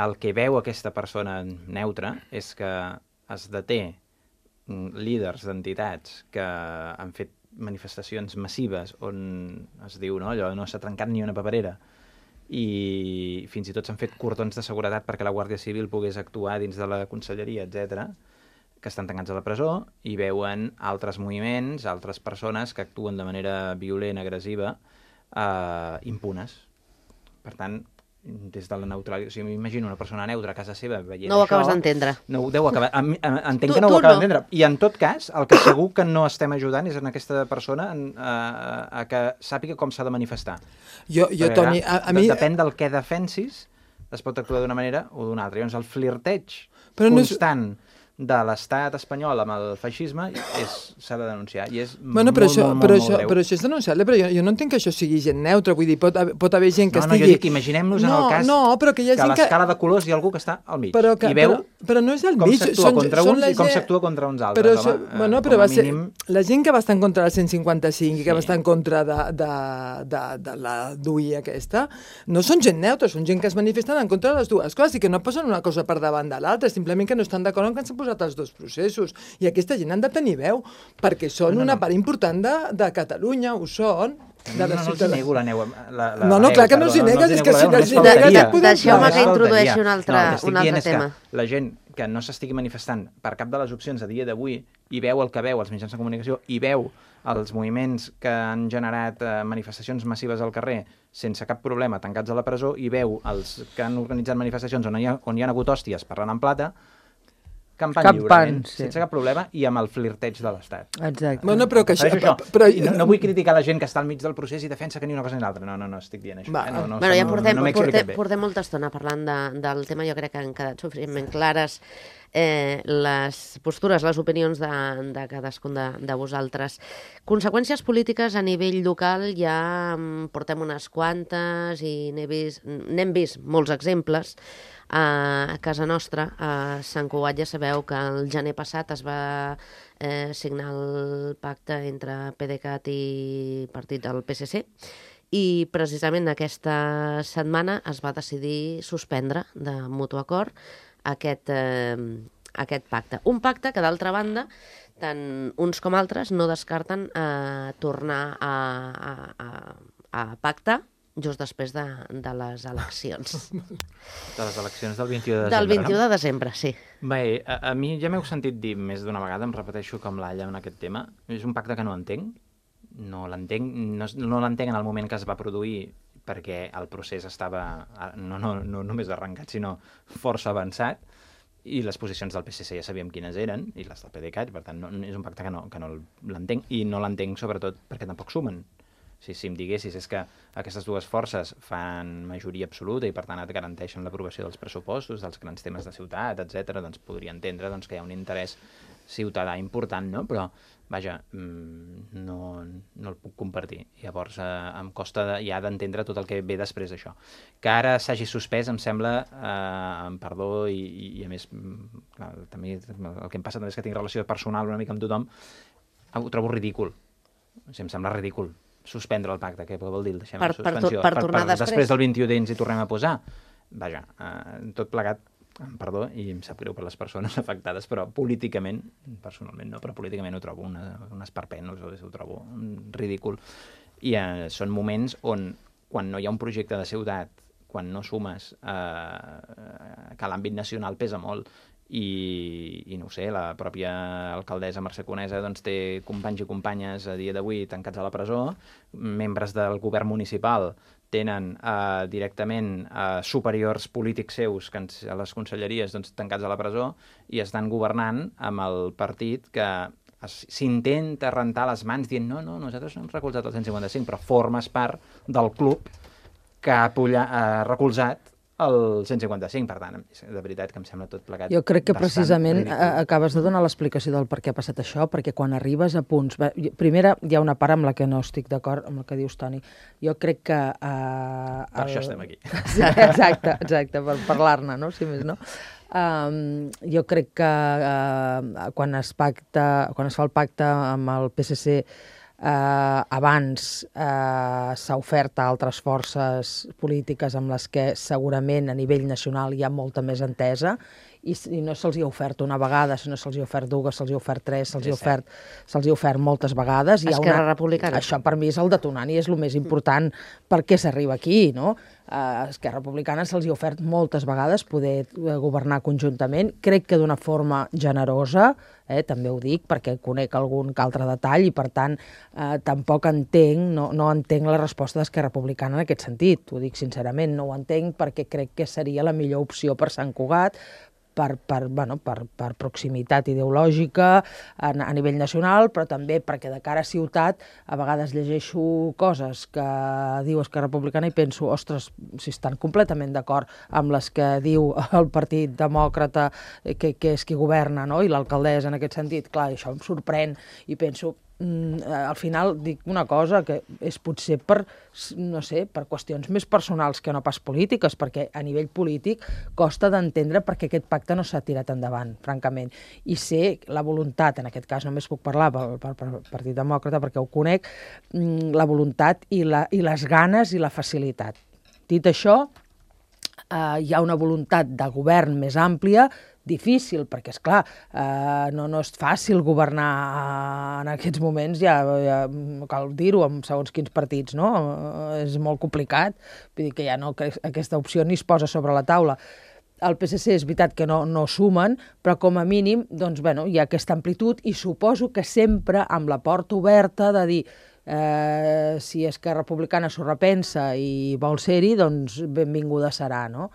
S3: el que veu aquesta persona neutra és que es deté líders d'entitats que han fet manifestacions massives on es diu, no, allò no s'ha trencat ni una paperera, i fins i tot s'han fet cordons de seguretat perquè la Guàrdia Civil pogués actuar dins de la Conselleria, etcètera, que estan tancats a la presó i veuen altres moviments, altres persones que actuen de manera violent, agressiva, eh, impunes. Per tant, des de la neutralitat... O sigui, m'imagino una persona neutra a casa seva veient
S2: no ho
S3: això...
S2: acabes d'entendre.
S3: No ho deu acabar... Entenc
S2: tu,
S3: que no ho acabes
S2: no.
S3: d'entendre. I en tot cas, el que segur que no estem ajudant és en aquesta persona a, a, a que sàpiga com s'ha de manifestar.
S4: Jo, jo Toni, a, a mi...
S3: Depèn del que defensis, es pot actuar d'una manera o d'una altra. Llavors, el flirteig
S4: Però
S3: constant... No és... de l'estat espanyol amb el feixisme s'ha de denunciar i és
S4: bueno,
S3: molt,
S4: però això,
S3: molt,
S4: però
S3: molt,
S4: això,
S3: molt greu.
S4: Però això és denunciable, però jo, jo no entenc que això sigui gent neutra, vull dir, pot, pot haver gent que
S3: no,
S4: estigui...
S3: No, jo dic, imaginem-nos
S4: no,
S3: en el cas
S4: no, però que, hi ha
S3: que
S4: gent
S3: a l'escala que... de colors hi ha algú que està al mig
S4: però que,
S3: i veu
S4: però, però no és al
S3: com
S4: mig,
S3: s'actua contra
S4: són
S3: uns
S4: la
S3: i com
S4: gent...
S3: s'actua contra uns altres.
S4: Però,
S3: home,
S4: això, bueno, però va mínim... ser... La gent que va estar en contra del cent cinquanta-cinc sí. i que va estar en contra de, de, de, de la D U I aquesta, no són gent neutra, són gent que es manifesten en contra de les dues coses i que no posen una cosa per davant de l'altra, simplement que no estan d'acord amb que s'han posat els dos processos. I aquesta gent han de tenir veu, perquè són no, no, una part important de, de Catalunya, ho són. De
S3: no, no, no els nego la neu. La, la,
S4: no, no, clar que no els negues, és que si els negues...
S2: Deixeu-me que introdueixi un altre,
S3: no,
S2: un altre tema.
S3: La gent que no s'estigui manifestant per cap de les opcions a dia d'avui i veu el que veu als mitjans de comunicació i veu els moviments que han generat eh, manifestacions massives al carrer sense cap problema, tancats a la presó, i veu els que han organitzat manifestacions on hi ha, on hi ha hagut hòsties parlant en plata, campant lliurement, sí. sense cap problema, i amb el flirteig de l'Estat.
S1: Exacte.
S4: Bueno, però que això...
S3: això?
S4: Però...
S3: No, no vull criticar la gent que està al mig del procés i defensa que ni una cosa ni l'altra. No, no, no, estic dient això.
S4: Va,
S3: eh? no, no,
S2: bueno, ja portem,
S3: no, no
S2: portem, portem molta estona parlant de, del tema. Jo crec que han quedat suficientment clares eh, les postures, les opinions de, de cadascun de, de vosaltres. Conseqüències polítiques a nivell local ja portem unes quantes i n'hem vist, n'hem vist molts exemples. A casa nostra, a Sant Cugat, ja sabeu que el gener passat es va eh, signar el pacte entre PDeCAT i partit del P S C i precisament aquesta setmana es va decidir suspendre de mutu acord aquest, eh, aquest pacte. Un pacte que, d'altra banda, tant uns com altres no descarten eh, tornar a, a, a, a pactar just després de, de les eleccions.
S3: De les eleccions del vint-i-u de desembre,
S2: Del vint-i-u
S3: no?
S2: de desembre, sí.
S3: Bé, a, a mi ja m'heu sentit dir més d'una vegada, em repeteixo com l'alla en aquest tema, és un pacte que no entenc, no l'entenc, no, no l'entenc en el moment que es va produir perquè el procés estava no, no, no només arrencat, sinó força avançat, i les posicions del P S C ja sabíem quines eren, i les del PDeCAT, per tant, no, és un pacte que no, que no l'entenc, i no l'entenc sobretot perquè tampoc sumen. Si, si em diguessis és que aquestes dues forces fan majoria absoluta i per tant et garanteixen l'aprovació dels pressupostos, dels grans temes de ciutat, etcètera, doncs podria entendre doncs, que hi ha un interès ciutadà important, no? Però, vaja, no, no el puc compartir. Llavors, eh, em costa de, ja d'entendre tot el que ve després d'això. Que ara s'hagi suspès, em sembla, eh, amb perdó, i, i, i a més, clar, també el que em passa també és que tinc relació personal una mica amb tothom, ho trobo ridícul. O sigui, em sembla ridícul suspendre el pacte, què vol dir? Deixem
S2: per,
S3: la suspensió.
S2: Per, per tornar
S3: per, per,
S2: després.
S3: Després del vint-i-u d'ens hi tornem a posar. Vaja, eh, tot plegat, perdó, i em sap greu per les persones afectades, però políticament, personalment no, però políticament ho trobo una, un esperpent, ho trobo ridícul. I eh, són moments on, quan no hi ha un projecte de ciutat, quan no sumes eh, que l'àmbit nacional pesa molt. I, i no ho sé, la pròpia alcaldessa Mercè Conesa doncs, té companys i companyes a dia d'avui tancats a la presó, membres del govern municipal tenen eh, directament eh, superiors polítics seus que a les conselleries doncs, tancats a la presó i estan governant amb el partit que s'intenta rentar les mans dient no, no, nosaltres no hem recolzat el cent cinquanta-cinc, però formes part del club que ha, pulla, ha recolzat el cent cinquanta-cinc, per tant, de veritat que em sembla tot plegat.
S1: Jo crec que precisament ridícul. Acabes de donar l'explicació del per què ha passat això, perquè quan arribes a punts... Primera, hi ha una part amb la que no estic d'acord amb el que dius, Toni. Jo crec que... Uh,
S3: per el... això estem aquí.
S1: Sí, exacte, exacte, per parlar-ne, no? Si més no. Um, jo crec que uh, quan es pacta, quan es fa el pacte amb el P S C Uh, abans uh, s'ha ofert a altres forces polítiques amb les que segurament a nivell nacional hi ha molta més entesa i, i no se'ls hi ha ofert una vegada, sinó se'ls hi ha ofert dues, se'ls hi ha ofert tres, se'ls hi ha ofert, se'ls hi ha ofert moltes vegades.
S2: Esquerra Republicana.
S1: Això per mi és el detonant i és el més important per què s'arriba aquí, no? Uh, Esquerra Republicana se'ls hi ha ofert moltes vegades poder governar conjuntament, crec que d'una forma generosa, eh, també ho dic perquè conec algun altre detall i per tant eh, tampoc entenc, no, no entenc la resposta d'Esquerra Republicana en aquest sentit, ho dic sincerament, no ho entenc perquè crec que seria la millor opció per Sant Cugat, per, per, bueno, per, per proximitat ideològica a, a nivell nacional, però també perquè de cara a ciutat a vegades llegeixo coses que diu Esquerra Republicana i penso, ostres, si estan completament d'acord amb les que diu el Partit Demòcrata, que, que és qui governa, no? I l'alcaldessa en aquest sentit, clar, això em sorprèn i penso, Mm, al final dic una cosa que és potser per, no sé, per qüestions més personals que no pas polítiques, perquè a nivell polític costa d'entendre perquè aquest pacte no s'ha tirat endavant, francament. I sé la voluntat, en aquest cas només puc parlar pel, pel, pel Partit Demòcrata perquè ho conec, mm, la voluntat i, la, i les ganes i la facilitat. Dit això, eh, hi ha una voluntat de govern més àmplia, difícil, perquè, és clar, eh, no, no és fàcil governar en aquests moments, ja, ja cal dir-ho, amb segons quins partits, no? Eh, és molt complicat, vull dir que ja no, que aquesta opció ni es posa sobre la taula. El P S C és veritat que no, no sumen, però com a mínim doncs, bueno, hi ha aquesta amplitud i suposo que sempre amb la porta oberta de dir eh, si Esquerra Republicana s'ho repensa i vol ser-hi, doncs benvinguda serà, no?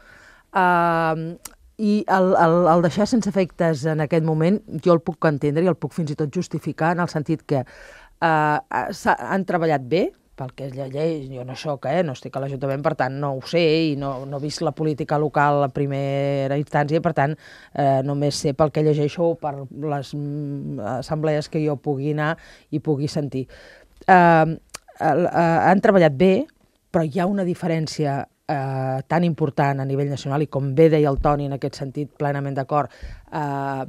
S1: Eh... I el, el, el deixar sense efectes en aquest moment jo el puc entendre i el puc fins i tot justificar en el sentit que eh, han treballat bé, pel que és la llei, jo no soc, eh, no estic a l'Ajuntament, per tant no ho sé i no, no he vist la política local a primera instància, per tant eh, només sé pel que llegeixo per les assemblees que jo pugui anar i pugui sentir. Eh, eh, han treballat bé, però hi ha una diferència Eh, tan important a nivell nacional i com bé deia el Toni en aquest sentit plenament d'acord, eh,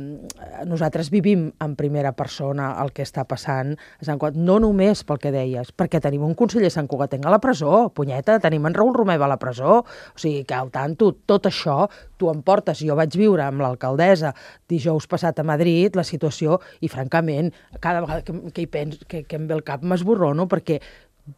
S1: nosaltres vivim en primera persona el que està passant a Sant Cugat, no només pel que deies, perquè tenim un conseller santcugatenc a la presó, punyeta, tenim en Raül Romeva a la presó, o sigui que al tanto, tot això tu em portes, jo vaig viure amb l'alcaldessa dijous passat a Madrid la situació i francament cada vegada que, que, hi pens, que, que em ve el cap m'esborrono perquè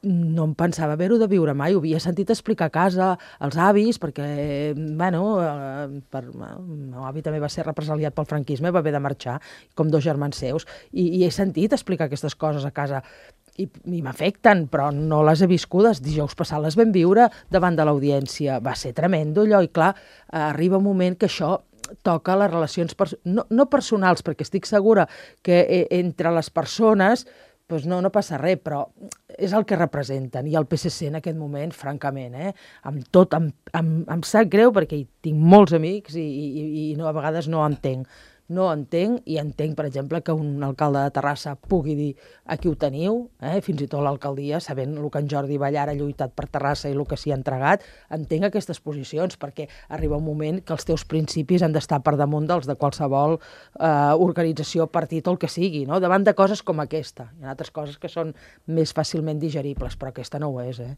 S1: no em pensava haver-ho de viure mai, ho havia sentit explicar a casa als avis, perquè, bueno, eh, per, el meu avi també va ser represaliat pel franquisme, va haver de marxar, com dos germans seus, i, i he sentit explicar aquestes coses a casa, i, i m'afecten, però no les he viscudes. Dijous passat les vam viure davant de l'audiència, va ser tremendo allò, i clar, eh, arriba un moment que això toca les relacions, pers- no, no personals, perquè estic segura que eh, entre les persones doncs no, no passa res, però és el que representen. I el P S C en aquest moment, francament, eh, amb tot, em, em, em sap greu perquè hi tinc molts amics i, i, i no, a vegades no entenc. No entenc, i entenc, per exemple, que un alcalde de Terrassa pugui dir aquí ho teniu, eh, fins i tot l'alcaldia, sabent el que en Jordi Ballar ha lluitat per Terrassa i el que s'hi ha entregat, entenc aquestes posicions, perquè arriba un moment que els teus principis han d'estar per damunt dels de qualsevol eh, organització, partit o el que sigui, no? Davant de coses com aquesta. Hi ha altres coses que són més fàcilment digeribles, però aquesta no ho és, eh?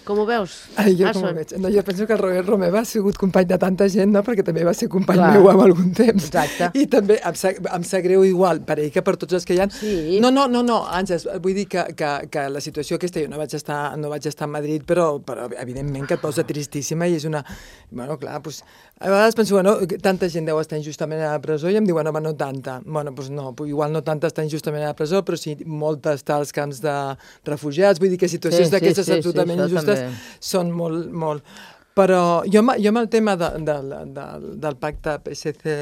S2: Com ho veus?
S4: Ai, jo com ho veig? No, jo penso que el Robert Romeva ha sigut company de tanta gent, no? Perquè també va ser company Clar. meu amb algun temps.
S1: Exacte.
S4: I també em sap, em sap greu igual per ell que per tots els que hi ha.
S1: Sí.
S4: No, no, no, no, Àngels, vull dir que, que, que la situació aquesta, jo no vaig estar, no vaig estar a Madrid, però, però evidentment que et posa tristíssima i és una... Bueno, clar, doncs, a vegades penso, bueno, tanta gent deu estar injustament a la presó i em diuen, home, no tanta. Bueno, doncs no, igual no tanta està injustament a la presó, però sí molta està als camps de refugiats, vull dir que situacions
S1: sí,
S4: d'aquestes
S1: sí, sí,
S4: absolutament
S1: sí,
S4: injustes
S1: també.
S4: són molt, molt... Però jo, jo amb el tema de, de, de, del pacte P S C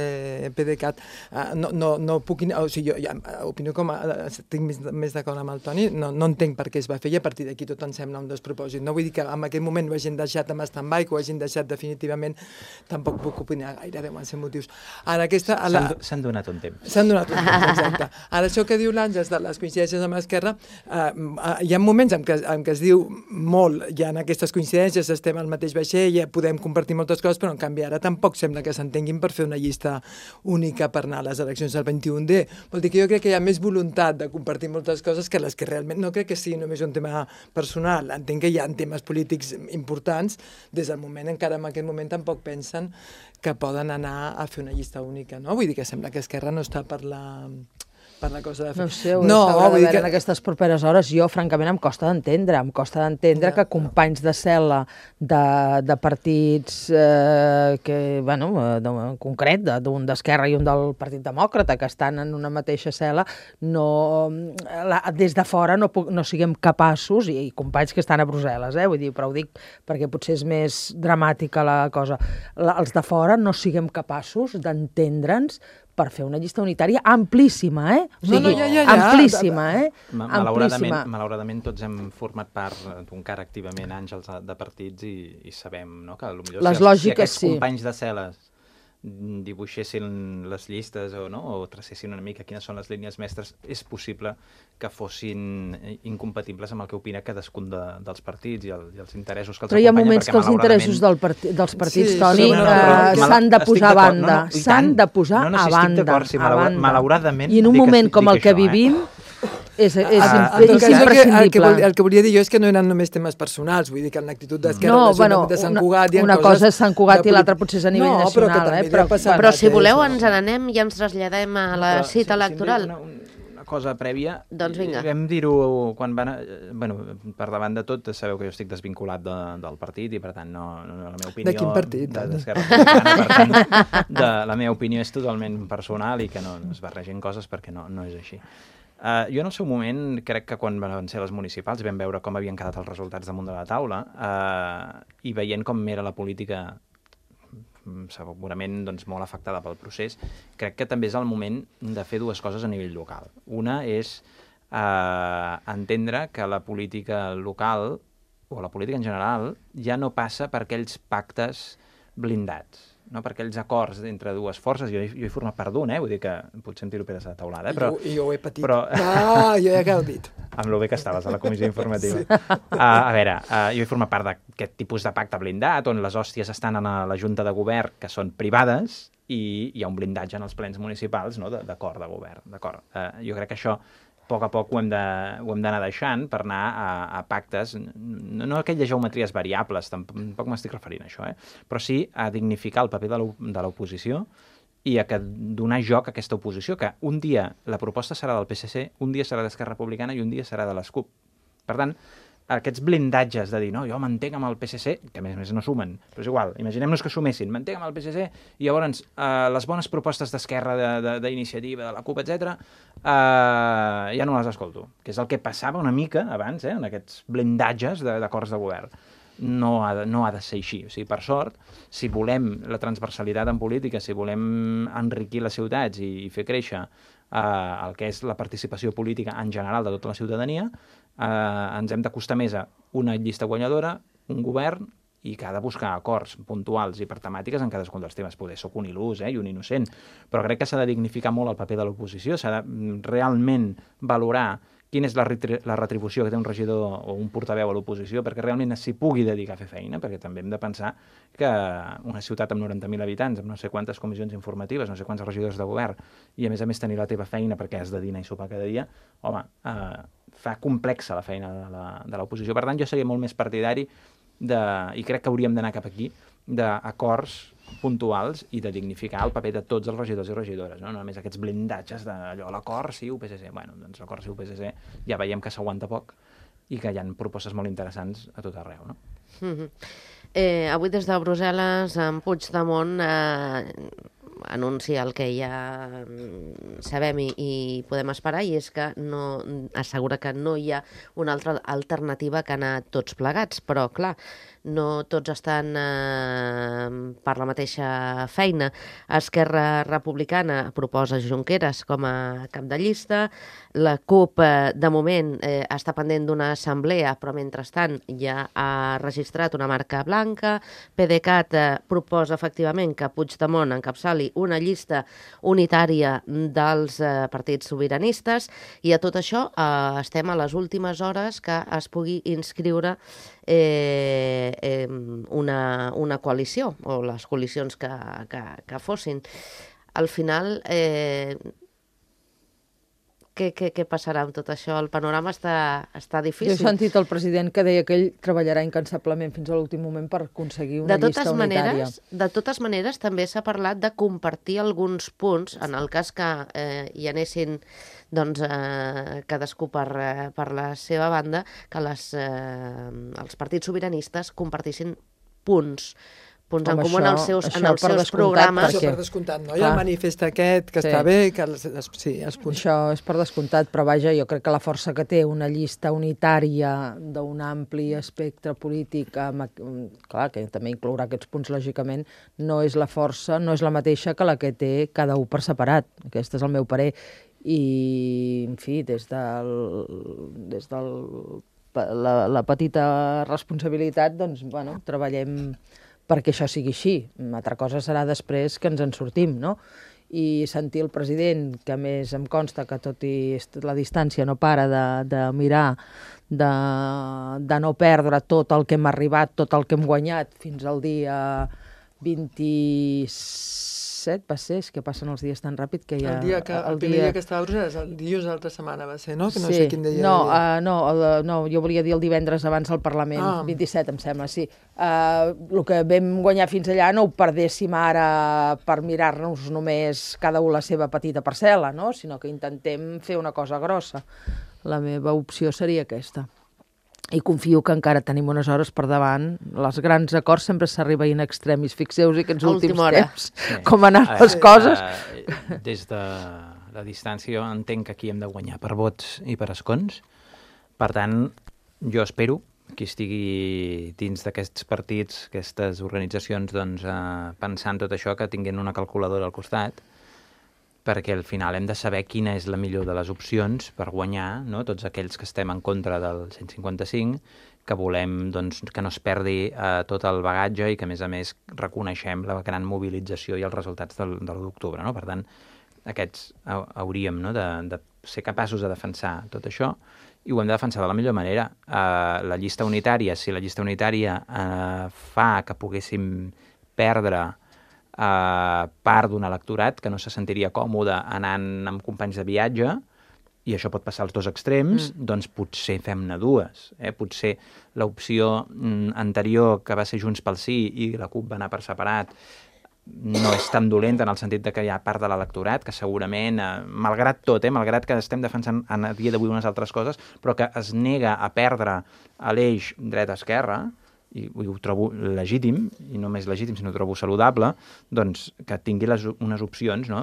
S4: P D cat uh, no, no, no puc... O sigui, jo ja, opino com... A, estic més, més d'acord amb el Toni, no, no entenc per què es va fer i a partir d'aquí tot em sembla un despropòsit. No vull dir que en aquell moment ho hagin deixat amb stand-by, que ho hagin deixat definitivament, tampoc puc opinar gaire, deuen ser motius. Ara aquesta...
S3: S'han la... donat un temps.
S4: S'han donat un temps, exacte. Ara això que diu l'Àngels de les coincidències amb l'Esquerra, uh, uh, hi ha moments en què, en què es diu molt, ja en aquestes coincidències estem al mateix vaixell, ja podem compartir moltes coses, però en canvi ara tampoc sembla que s'entenguin per fer una llista única per anar a les eleccions del vint-i-un D. Vol dir que jo crec que hi ha més voluntat de compartir moltes coses que les que realment no crec que sigui només un tema personal. Entenc que hi ha temes polítics importants, des del moment encara en aquest moment tampoc pensen que poden anar a fer una llista única, no? Vull dir que sembla que Esquerra no està per la... per la cosa de fer.
S1: No sé, ho
S4: no,
S1: no,
S4: vull dir
S1: que...
S4: que...
S1: en aquestes properes hores. Jo, francament, em costa d'entendre. Em costa d'entendre ja, que companys de cel·la de, de partits eh, que, bueno, de, en concret, d'un d'Esquerra i un del Partit Demòcrata, que estan en una mateixa cel·la, no, la, des de fora no, puc, no siguem capaços, i, i companys que estan a Brussel·les, eh, vull dir, però ho dic perquè potser és més dramàtica la cosa, la, els de fora no siguem capaços d'entendre'ns per fer una llista unitària amplíssima, eh? O sigui,
S4: no, no, ja, ja, ja.
S1: amplíssima, eh?
S3: Malauradament, malauradament tots hem format part d'un cara activament Àngels de partits i, i sabem, no?, que potser
S1: les
S3: si,
S1: lògiques,
S3: si aquests
S1: sí.
S3: companys de cel·les dibuixessin les llistes o, no? o tracessin una mica quines són les línies mestres, és possible que fossin incompatibles amb el que opina cadascun de, dels partits i, el, i els interessos que els
S1: acompanyen. Però hi ha moments que els interessos del parti, dels partits, sí, Toni,
S3: no, no,
S1: uh, s'han de posar a banda.
S3: No, no,
S1: s'han de posar
S3: no, no, si
S1: a banda.
S3: No, sí, malaura,
S1: banda.
S3: malauradament...
S1: I en un moment
S3: que,
S1: com el que
S3: això,
S1: vivim...
S3: Eh?
S1: És, és,
S4: ah,
S1: és, és
S4: cas,
S1: imprescindible.
S4: El que, el que volia dir jo és que no eren només temes personals, vull dir que en l'actitud d'Esquerra
S1: no,
S4: de
S1: bueno,
S4: de Sant Cugat...
S1: Una, una cosa és Sant Cugat i l'altra potser és a nivell
S4: no,
S1: nacional.
S4: Però,
S1: eh? però,
S2: però, però si voleu ens n'anem i ens traslladem a la però, cita si, electoral.
S3: Si una, una cosa prèvia,
S2: doncs vinga.
S3: Vam dir-ho quan van... Bueno, per davant de tot, sabeu que jo estic desvinculat de, del partit i per tant no, no la meva opinió...
S4: De quin partit?
S3: D'Esquerra Republicana, per tant, de, la meva opinió és totalment personal i que no, no es barregin coses perquè no, no és així. Uh, jo en el seu moment, crec que quan van ser les municipals vam veure com havien quedat els resultats damunt de la taula uh, i veient com era la política segurament doncs, molt afectada pel procés, crec que també és el moment de fer dues coses a nivell local. Una és uh, entendre que la política local o la política en general ja no passa per aquells pactes blindats, no? Per aquells acords entre dues forces. Jo, jo he format part d'un, eh? Vull dir que potser em tiro peres a la taulada, eh? Però,
S4: I, jo, I jo ho he patit.
S3: Però...
S4: Ah, jo ja he gaudit.
S3: Amb lo bé que estaves a la comissió informativa. Sí. Uh, a veure, uh, jo he format part d'aquest tipus de pacte blindat, on les hòsties estan a la Junta de Govern, que són privades, i hi ha un blindatge en els plens municipals, no?, d'acord de govern. D'acord. Uh, jo crec que això a poc a poc ho hem d'anar deixant per anar a, a pactes, no, no aquelles geometries variables, tampoc m'estic referint a això, eh? Però sí a dignificar el paper de l'oposició i a que donar joc a aquesta oposició, que un dia la proposta serà del P S C, un dia serà d'Esquerra Republicana i un dia serà de les CUP. Per tant, aquests blindatges de dir, no, jo m'entenc amb el P S C, que a més a més no sumen, però és igual, imaginem-nos que sumessin, m'entenc amb el P S C, i llavors eh, les bones propostes d'Esquerra, d'Iniciativa, de, de, de la CUP, etcètera, eh, ja no les escolto, que és el que passava una mica abans, eh, en aquests blindatges d'acords de, de govern. No ha, de, no ha de ser així. O sigui, per sort, si volem la transversalitat en política, si volem enriquir les ciutats i, i fer créixer eh, el que és la participació política en general de tota la ciutadania, eh, ens hem d'acostar més a una llista guanyadora, un govern, i que ha de buscar acords puntuals i per temàtiques en cadascun dels temes. Poder soc un il·lús, eh, i un innocent, però crec que s'ha de dignificar molt el paper de l'oposició, s'ha de realment valorar quina és la, la retribució que té un regidor o un portaveu a l'oposició perquè realment s'hi pugui dedicar a fer feina, perquè també hem de pensar que una ciutat amb noranta mil habitants, amb no sé quantes comissions informatives, no sé quants regidors de govern, i a més a més tenir la teva feina perquè has de dinar i sopar cada dia, home, eh, fa complexa la feina de l'oposició. Per tant, jo seria molt més partidari de, i crec que hauríem d'anar cap aquí, d'acords puntuals i de dignificar el paper de tots els regidors i regidores, no? No només aquests blindatges d'allò, l'acord sí, U P S C. Bueno, doncs l'acord sí, U P S C ja veiem que s'aguanta poc i que hi ha propostes molt interessants a tot arreu, no?
S2: Mm-hmm. eh, avui des de Brussel·les, en Puigdemont eh, anuncia el que ja sabem i, i podem esperar, i és que no, assegura que no hi ha una altra alternativa que anar tots plegats, però clar, no tots estan eh, per la mateixa feina. Esquerra Republicana proposa Junqueras com a cap de llista, la CUP eh, de moment eh, està pendent d'una assemblea, però mentrestant ja ha registrat una marca blanca, PDeCAT eh, proposa efectivament que Puigdemont encapçali una llista unitària dels eh, partits sobiranistes, i a tot això eh, estem a les últimes hores que es pugui inscriure Eh, eh, una, una coalició, o les coalicions que, que, que fossin. Al final, eh, què, què, què passarà amb tot això? El panorama està, està difícil.
S1: Jo he sentit el president que deia que ell treballarà incansablement fins a l'últim moment per aconseguir una
S2: de totes
S1: llista unitària.
S2: Maneres, de totes maneres, també s'ha parlat de compartir alguns punts, en el cas que eh, hi anessin doncs, eh, cadascú per, eh, per la seva banda, que les, eh, els partits sobiranistes compartissin punts, punts
S1: Home,
S2: en comú en els seus,
S1: això
S2: en els
S1: per
S2: seus
S1: descomptat,
S2: programes.
S4: Això
S1: perquè-
S4: per descomptat, no? Hi
S1: Clar.
S4: ha el manifest aquest, que
S1: Sí.
S4: està bé, que els, els, sí, els punts...
S1: Això és per descomptat, però vaja, jo crec que la força que té una llista unitària d'un ampli espectre polític, amb, clar, que també inclourà aquests punts, lògicament, no és la força, no és la mateixa que la que té cada un per separat. Aquest és el meu parer. I, en fi, des del, des del la, la petita responsabilitat, doncs, bueno, treballem perquè això sigui així. Una altra cosa serà després que ens en sortim, no? I sentir el president, que a més em consta que tot i la distància no para de, de mirar, de, de no perdre tot el que hem arribat, tot el que hem guanyat fins al dia vint-i-set, va ser, és que passen els dies tan ràpid que ja...
S4: El dia que, el, el primer dia... dia que estava a Brussel·les, el dilluns de l'altra setmana va ser, no? Que no
S1: sí.
S4: sé quin dia
S1: no,
S4: era.
S1: uh, no, el, no, jo volia dir el divendres abans del Parlament, ah. vint-i-set, em sembla, sí. Uh, el que vam guanyar fins allà no ho perdéssim ara per mirar-nos només cada un la seva petita parcel·la, no? Sinó que intentem fer una cosa grossa. La meva opció seria aquesta. I confio que encara tenim unes hores per davant. Els grans acords sempre s'arriba in extremis. Fixeu-vos aquests últims temps, sí. com han anat les coses.
S3: Uh, des de la distància jo entenc que aquí hem de guanyar per vots i per escons. Per tant, jo espero que estigui dins d'aquests partits, aquestes organitzacions, doncs, uh, pensant tot això, que tinguin una calculadora al costat, perquè al final hem de saber quina és la millor de les opcions per guanyar, no? Tots aquells que estem en contra del cent cinquanta-cinc, que volem doncs, que no es perdi eh, tot el bagatge i que, a més a més, reconeixem la gran mobilització i els resultats del, de l'u d'octubre. No? Per tant, aquests hauríem, no? de, de ser capaços de defensar tot això, i ho hem de defensar de la millor manera. Eh, la llista unitària, si la llista unitària eh, fa que poguéssim perdre Uh, part d'un electorat que no se sentiria còmode anant amb companys de viatge, i això pot passar als dos extrems, mm. doncs potser fem-ne dues. Eh? Potser l'opció mm, anterior, que va ser Junts pel Sí i la CUP va anar per separat, no és tan dolenta en el sentit de que hi ha part de l'electorat que segurament, eh, malgrat tot, eh, malgrat que estem defensant a dia d'avui unes altres coses, però que es nega a perdre a l'eix dreta-esquerra, i ho trobo legítim, i no més legítim, sinó ho trobo saludable, doncs que tingui les, unes opcions, no?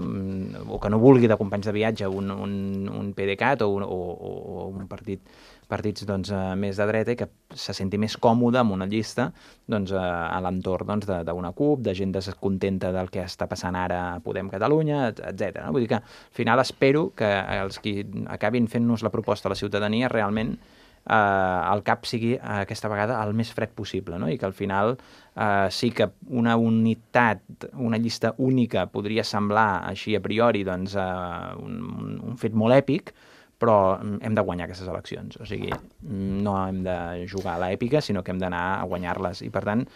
S3: O que no vulgui de companys de viatge un, un, un PDeCAT o un, o, o un partit, partits doncs, més de dreta, i que se senti més còmode amb una llista doncs, a l'entorn doncs, d'una CUP, de gent descontenta del que està passant ara a Podem Catalunya, etcètera. No? Vull dir que al final espero que els qui acabin fent-nos la proposta a la ciutadania realment Uh, el cap sigui uh, aquesta vegada el més fred possible, no? I que al final uh, sí que una unitat, una llista única podria semblar així a priori doncs, uh, un, un fet molt èpic, però hem de guanyar aquestes eleccions. O sigui, no hem de jugar a l'èpica, sinó que hem d'anar a guanyar-les. I per tant,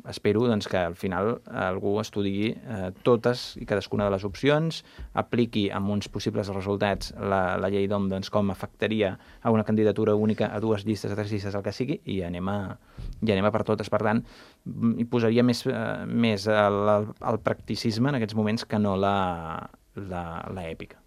S3: espero doncs, que al final algú estudiï eh, totes i cadascuna de les opcions, apliqui amb uns possibles resultats la, la llei d'O M doncs, com afectaria a una candidatura única, a dues llistes, a tres llistes, el que sigui, i anem a, i anem a per totes. Per tant, hi posaria més, eh, més el, el practicisme en aquests moments que no la, la, la èpica.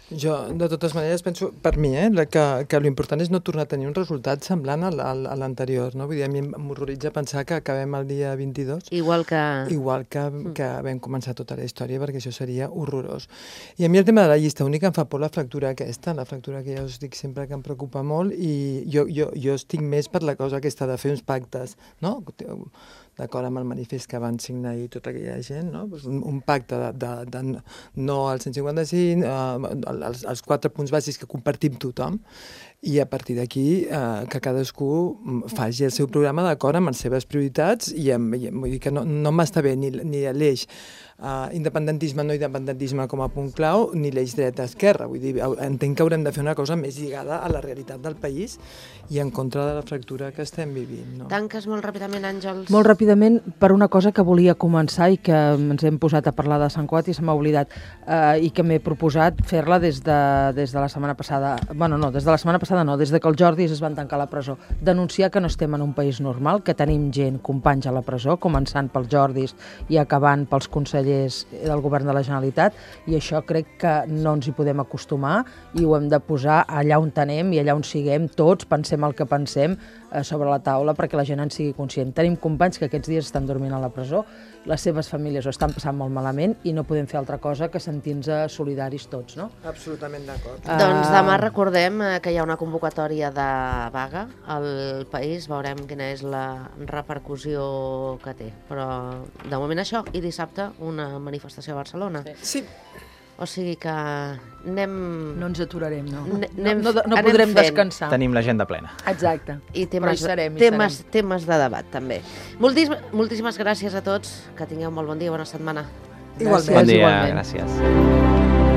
S4: Jo, de totes maneres, penso, per mi, eh, que, que l'important és no tornar a tenir un resultat semblant a l'anterior, no? Vull dir, a mi m'horroritza pensar que acabem el dia vint-i-dos.
S2: Igual que...
S4: Igual que, que vam començar tota la història, perquè això seria horrorós. I a mi el tema de la llista única em fa por la fractura aquesta, la fractura que ja us dic sempre que em preocupa molt, i jo, jo, jo estic més per la cosa aquesta de fer uns pactes, no? D'acord amb el manifest que van signar ahir tota aquella gent, no? Un, un pacte de, de, de no al cent cinquanta-cinc, eh, els, els quatre punts bàsics que compartim tothom, i a partir d'aquí eh, que cadascú faci el seu programa d'acord amb les seves prioritats, i, amb, i vull dir que no, no m'està bé ni, ni l'eix uh, independentisme, no independentisme com a punt clau, ni l'eix dreta-esquerra. Vull dir, entenc que haurem de fer una cosa més lligada a la realitat del país i en contra de la fractura que estem vivint. No?
S2: Tanques molt ràpidament, Àngels?
S1: Molt ràpidament, per una cosa que volia començar i que ens hem posat a parlar de Sant Cugat i se m'ha oblidat, eh, i que m'he proposat fer-la des, de, des de la setmana passada, bueno, no, des de la setmana passada no, des de que els Jordis es van tancar a la presó. Denunciar que no estem en un país normal, que tenim gent, companys a la presó, començant pels Jordis i acabant pels consellers del govern de la Generalitat, i això crec que no ens hi podem acostumar i ho hem de posar allà on tenem i allà on siguem tots, pensem el que pensem, eh, sobre la taula perquè la gent en sigui conscient. Tenim companys que aquests dies estan dormint a la presó, les seves famílies ho estan passant molt malament i no podem fer altra cosa que sentir-nos solidaris tots, no?
S4: Absolutament d'acord.
S2: Uh... Doncs demà recordem que hi ha una convocatòria de vaga al país, veurem quina és la repercussió que té. Però de moment això, i dissabte una manifestació a Barcelona.
S4: Sí.
S2: O sigui que anem...
S1: No ens aturarem, no.
S2: Anem,
S1: no, no, no podrem
S2: fent.
S1: descansar.
S3: Tenim l'agenda plena.
S1: Exacte.
S2: I temes,
S1: Però hi serem, hi
S2: temes,
S1: serem.
S2: temes de debat, també. Moltíssim, moltíssimes gràcies a tots. Que tingueu molt bon dia, bona setmana.
S4: Igualment.
S3: Bon dia,
S1: igualment.
S3: gràcies.